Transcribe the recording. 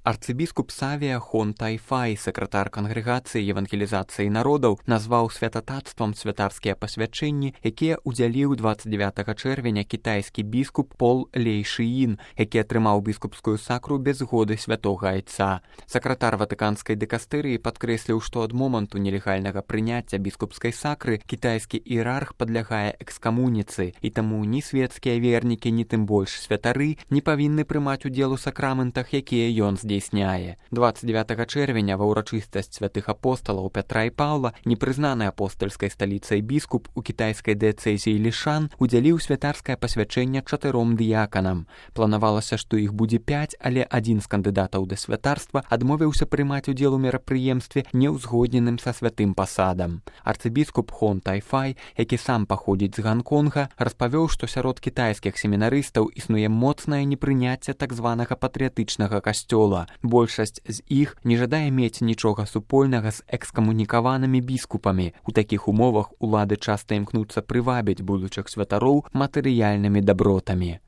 Арцыбіскуп Савія Хон Тайфай, сакратар кангрэгацыі евангелізацыі народаў, назваў святататствам святарскія пасвячэнні, якія ўдзяліў 29 чэрвеня кітайскі біскуп Пол Лей Шыін, які атрымаў біскупскую сакру без згоды святога айца. Сакратар ватыканскай дыкастэрыі падкрэсліў, што ад моманту нелегальнага прыняцця біскупскай сакры кітайскі іерарх падлягае экскамуніцы, і таму ні светскія вернікі, ні тым больш святары не павінны прымаць удзел у сакраментах, якія ён здзейсняе. 29 чэрвеня ва ўрачыстасць святых апосталаў Пятра і Паўла непрызнаны апостальскай сталіцай біскуп у кітайскай дыяцэзіі Лішан удзяліў святарскае пасвячэнне 4 дыяканам. Планавалася, што іх будзе 5, але адзін з кандыдатаў да святарства адмовіўся прымаць удзел у мерапрыемстве неўзгодненым са святым пасадам. Арцыбіскуп Хон Тайфай, які сам паходзіць з Ганконга, распавёў, што сярод кітайскіх семінарыстаў існуе моцнае непрыняцце так званага патрыятычнага касцёла. Большасць з іх не жадае мець нічога супольнага з экскамунікаванымі біскупамі. У такіх умовах улады часта імкнуцца прывабіць будучых святароў матэрыяльнымі дабротамі.